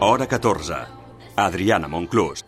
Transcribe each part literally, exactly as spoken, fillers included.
Hora catorze. Adriana Monclús.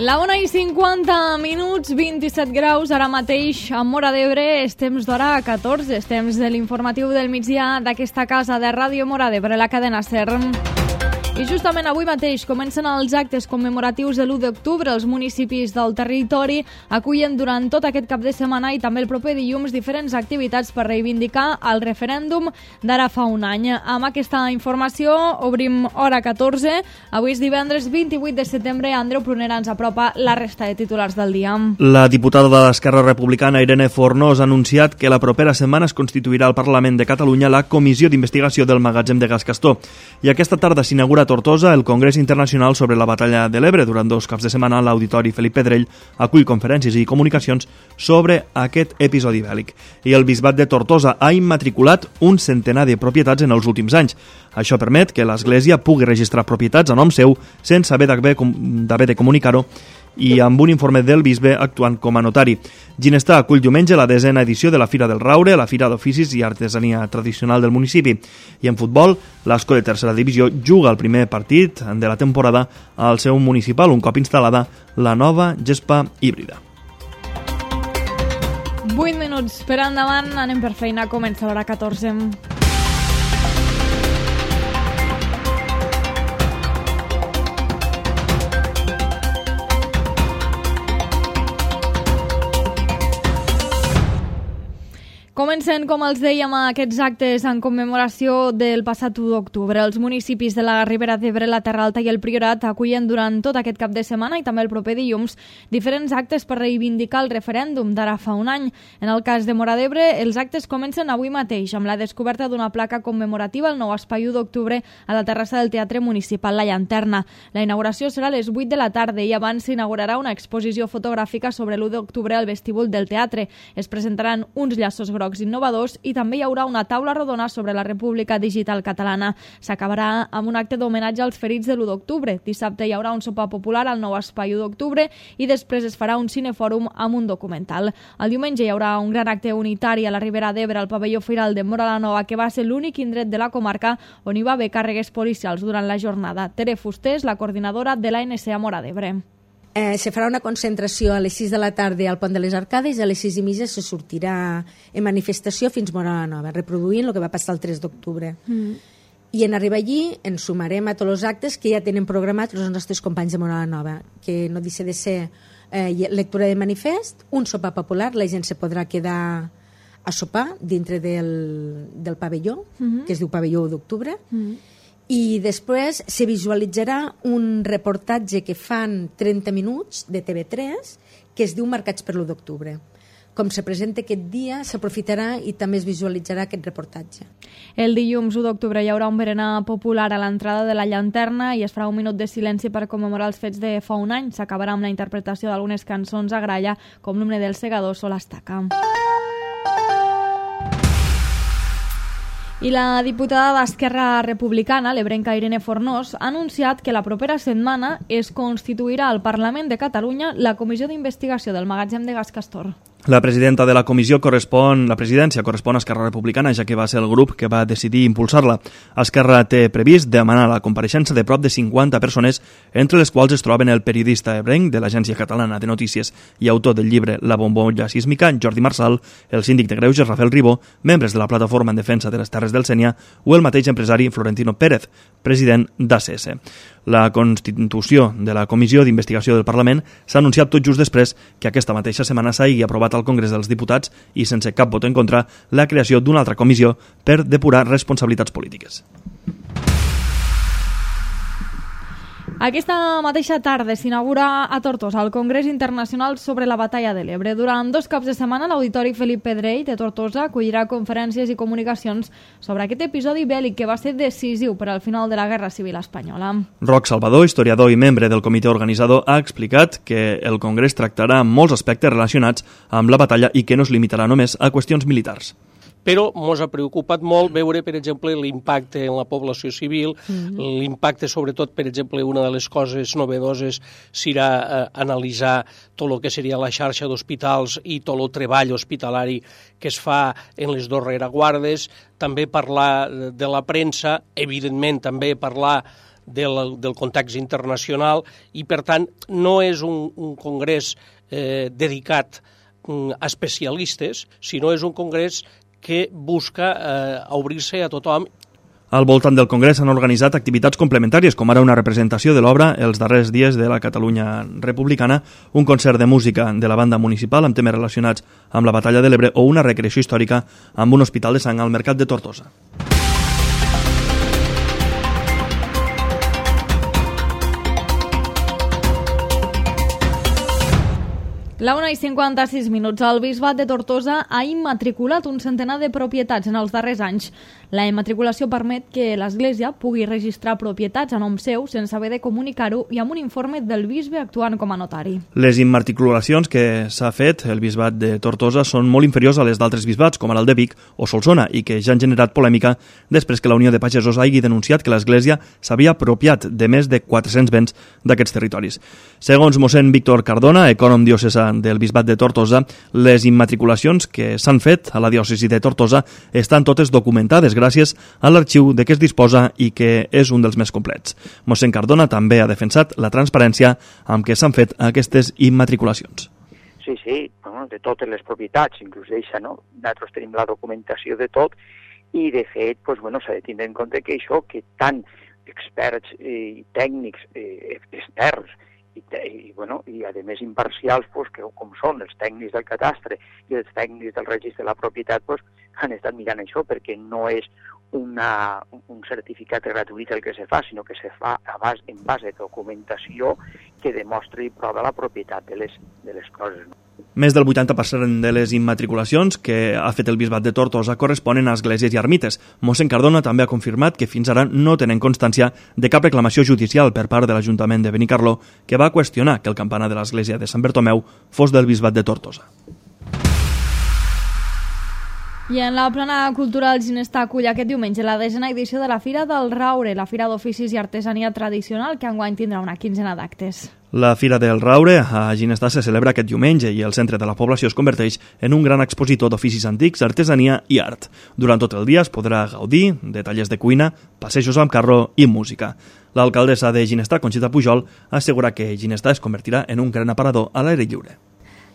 La una i cinquanta minuts, vint-i-set graus, ara mateix a Móra d'Ebre, és temps d'hora catorze, és temps de l'informatiu del migdia d'aquesta casa de Ràdio Móra d'Ebre, la cadena SER. I justament avui mateix comencen els actes commemoratius de l'u d'octubre. Els municipis del territori acullen durant tot aquest cap de setmana i també el proper dilluns diferents activitats per reivindicar el referèndum d'ara fa un any. Amb aquesta informació obrim hora catorze. Avui és divendres vint-i-vuit de setembre. Andreu Prunera ens apropa la resta de titulars del dia. La diputada de l'Esquerra Republicana, Irene Fornós, ha anunciat que la propera setmana es constituirà al Parlament de Catalunya la Comissió d'Investigació del Magatzem de Gas Castor. I aquesta tarda s'inaugura a Tortosa el Congrés Internacional sobre la Batalla de l'Ebre. Durant dos caps de setmana, l'Auditori Felip Pedrell acull conferències i comunicacions sobre aquest episodi bèl·lic. I el Bisbat de Tortosa ha immatriculat un centenar de propietats en els últims anys. Això permet que l'Església pugui registrar propietats a nom seu sense haver d'haver de comunicar-ho i amb un informe del bisbe actuant com a notari. Ginestà acull diumenge la desena edició de la Fira del Raure, la Fira d'Oficis i Artesania Tradicional del municipi. I en futbol, l'Ascó de tercera divisió juga el primer partit de la temporada al seu municipal, un cop instal·lada la nova gespa híbrida. vuit minuts per endavant, anem per feina, comença l'hora catorze. Comencen, com els dèiem, aquests actes en commemoració del passat u d'octubre. Els municipis de la Ribera d'Ebre, la Terra Alta i el Priorat acullen durant tot aquest cap de setmana i també el proper dilluns diferents actes per reivindicar el referèndum d'ara fa un any. En el cas de Móra d'Ebre, els actes comencen avui mateix amb la descoberta d'una placa commemorativa al nou espai u d'octubre a la terrassa del Teatre Municipal La Llanterna. La inauguració serà a les vuit de la tarda i abans s'inaugurarà una exposició fotogràfica sobre l'u d'octubre al vestíbul del teatre. Es presentaran uns llaços grocs innovadors i també hi haurà una taula rodona sobre la República Digital Catalana. S'acabarà amb un acte d'homenatge als ferits de l'u d'octubre. Dissabte hi haurà un sopar popular al nou espai u d'octubre i després es farà un cinefòrum amb un documental. El diumenge hi haurà un gran acte unitari a la Ribera d'Ebre al pavelló Firal de Móra la Nova, que va ser l'únic indret de la comarca on hi va haver càrregues policials durant la jornada. Tere Fuster és la coordinadora de l'A N C a Móra d'Ebre. Eh, se farà una concentració a les sis de la tarda al Pont de les Arcades i a les sis i mitja se sortirà en manifestació fins Móra la Nova, reproduint el que va passar el tres d'octubre. Mm. I en arribar allí ens sumarem a tots els actes que ja tenen programats els nostres companys de Móra la Nova, que no deixa de ser eh, lectura de manifest, un sopar popular, la gent se podrà quedar a sopar dintre del, del pavelló, mm-hmm. que es diu pavelló u d'octubre, mm-hmm. i després se visualitzarà un reportatge que fan trenta minuts de T V tres que es diu Marcats per l'u d'octubre. Com se presenta aquest dia, s'aprofitarà i també es visualitzarà aquest reportatge. El dilluns u d'octubre hi haurà un berenar popular a l'entrada de la Llanterna i es farà un minut de silenci per commemorar els fets de fa un any. S'acabarà amb la interpretació d'algunes cançons a gralla, com l'himne dels segadors o l'estaca. I la diputada d'Esquerra Republicana, l'ebrenca Irene Fornós, ha anunciat que la propera setmana es constituirà al Parlament de Catalunya la Comissió d'Investigació del Magatzem de Gas Castor. La presidenta de la comissió correspon, la presidència correspon a Esquerra Republicana, ja que va ser el grup que va decidir impulsar-la. Esquerra té previst demanar la compareixença de prop de cinquanta persones, entre les quals es troben el periodista ebrenc de l'Agència Catalana de Notícies i autor del llibre La bombolla sísmica, Jordi Marsal, el síndic de Greuges, Rafael Ribó, membres de la Plataforma en Defensa de les Terres del Sénia o el mateix empresari Florentino Pérez, president d'A C S. La constitució de la Comissió d'Investigació del Parlament s'ha anunciat tot just després que aquesta mateixa setmana s'hagi aprovat al Congrés dels Diputats i sense cap vot en contra la creació d'una altra comissió per depurar responsabilitats polítiques. Aquesta mateixa tarda s'inaugura a Tortosa el Congrés Internacional sobre la Batalla de l'Ebre. Durant dos caps de setmana, l'Auditori Felip Pedrell de Tortosa acollirà conferències i comunicacions sobre aquest episodi bèl·lic que va ser decisiu per al final de la Guerra Civil Espanyola. Roc Salvador, historiador i membre del comitè organitzador, ha explicat que el Congrés tractarà molts aspectes relacionats amb la batalla i que no es limitarà només a qüestions militars. Però ens ha preocupat molt veure, per exemple, l'impacte en la població civil, mm-hmm. l'impacte, sobretot, per exemple, una de les coses novedoses serà eh, analitzar tot el que seria la xarxa d'hospitals i tot el treball hospitalari que es fa en les dos rereguardes, també parlar de la premsa, evidentment també parlar del, del context internacional i, per tant, no és un, un congrés eh, dedicat a especialistes, sinó és un congrés que busca eh, obrir-se a tothom. Al voltant del Congrés s'han organitzat activitats complementàries, com ara una representació de l'obra Els darrers dies de la Catalunya republicana, un concert de música de la banda municipal amb temes relacionats amb la batalla de l'Ebre o una recreació històrica amb un hospital de sang al Mercat de Tortosa. La una i cinquanta-sis minuts. El Bisbat de Tortosa ha immatriculat un centenar de propietats en els darrers anys. La immatriculació permet que l'Església pugui registrar propietats a nom seu sense haver de comunicar-ho i amb un informe del bisbe actuant com a notari. Les immatriculacions que s'ha fet el Bisbat de Tortosa són molt inferiors a les d'altres bisbats, com ara el de Vic o Solsona, i que ja han generat polèmica després que la Unió de Pagesos hagi denunciat que l'Església s'havia apropiat de més de quatre-cents béns d'aquests territoris. Segons mossèn Víctor Cardona, ecònom diocesà del Bisbat de Tortosa, les immatriculacions que s'han fet a la diòcesi de Tortosa estan totes documentades gràcies a l'arxiu de què es disposa i que és un dels més complets. Mossèn Cardona també ha defensat la transparència amb què s'han fet aquestes immatriculacions. Sí, sí, bueno, de totes les propietats, inclús d'eixa, no? Nosaltres tenim la documentació de tot i, de fet, pues, bueno, s'ha de tindre en compte que això, que tant experts i tècnics eh, externs i, i, bueno, i a més imparcials, pues, que, com són els tècnics del catastre i els tècnics del registre de la propietat, pues, han estat mirant això, perquè no és una, un certificat gratuït el que se fa, sinó que se fa a base, en base de documentació que demostra i prova la propietat de les, de les coses. No? Més del vuitanta per cent de les immatriculacions que ha fet el Bisbat de Tortosa corresponen a esglésies i ermites. Mossèn Cardona també ha confirmat que fins ara no tenen constància de cap reclamació judicial per part de l'Ajuntament de Benicarló que va qüestionar que el campanar de l'església de Sant Bertomeu fos del Bisbat de Tortosa. I en la plana cultural Ginestar acull aquest diumenge la desena edició de la Fira del Raure, la Fira d'Oficis i Artesania Tradicional, que enguany tindrà una quinzena d'actes. La Fira del Raure a Ginestar se celebra aquest diumenge i el centre de la població es converteix en un gran expositor d'oficis antics, artesania i art. Durant tot el dia es podrà gaudir de tallers de cuina, passejos amb carro i música. L'alcaldessa de Ginestar, Conxita Pujol, assegura que Ginestar es convertirà en un gran aparador a l'aire lliure.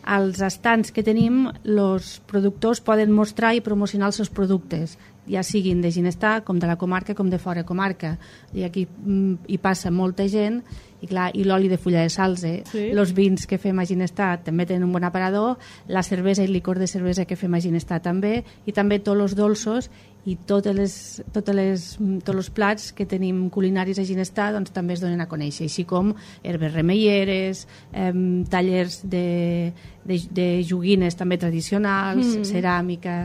Als estants que tenim, els productors poden mostrar i promocionar els seus productes, ja siguin de Ginestar, com de la comarca, com de fora comarca. I aquí hi passa molta gent, i clar, i l'oli de fulla de salze, sí. Els vins que fem a Ginestar també tenen un bon aparador, la cervesa i licor de cervesa que fem a Ginestar també, i també tots els dolços i totes les, totes les, tots els plats que tenim culinaris a Ginestar doncs, també es donen a conèixer, així com herbes remeieres, eh, tallers de, de, de joguines també tradicionals, mm. ceràmica...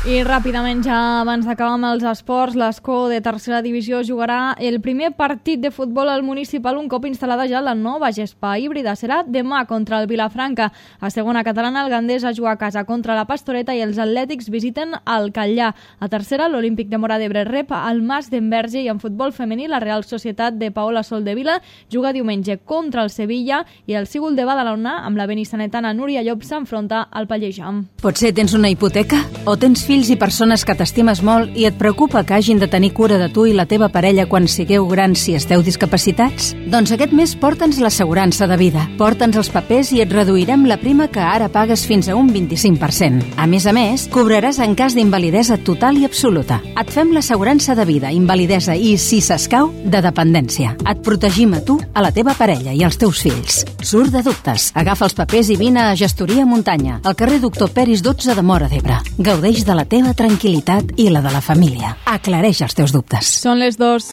I ràpidament, ja abans d'acabar amb els esports, l'Escó de tercera divisió jugarà el primer partit de futbol al municipal un cop instal·lada ja la nova gespa híbrida. Serà demà contra el Vilafranca. A segona catalana, el Gandés a jugar a casa contra la Pastoreta i els atlètics visiten el Catllà. A tercera, l'Olímpic de Móra d'Ebre rep el Mas d'Enverge i en futbol femení la Real Societat de Paola Soldevila juga diumenge contra el Sevilla i el Sígul de Badalona amb la benissanetana Núria Llop s'enfronta al Pallejam. Potser tens una hipoteca o tens fills i persones que t'estimes molt i et preocupa que hagin de tenir cura de tu i la teva parella quan sigueu grans si esteu discapacitats? Doncs aquest mes porta'ns l'assegurança de vida. Porta'ns els papers i et reduirem la prima que ara pagues fins a un vint-i-cinc per cent. A més a més, cobraràs en cas d'invalidesa total i absoluta. Et fem l'assegurança de vida, invalidesa i, si s'escau, de dependència. Et protegim a tu, a la teva parella i als teus fills. Surt de dubtes. Agafa els papers i vine a Gestoria Muntanya, al carrer Doctor Peris dotze de Móra d'Ebre. Gaudeix de la teva tranquil·litat i la de la família. Aclareix els teus dubtes. Són les dos.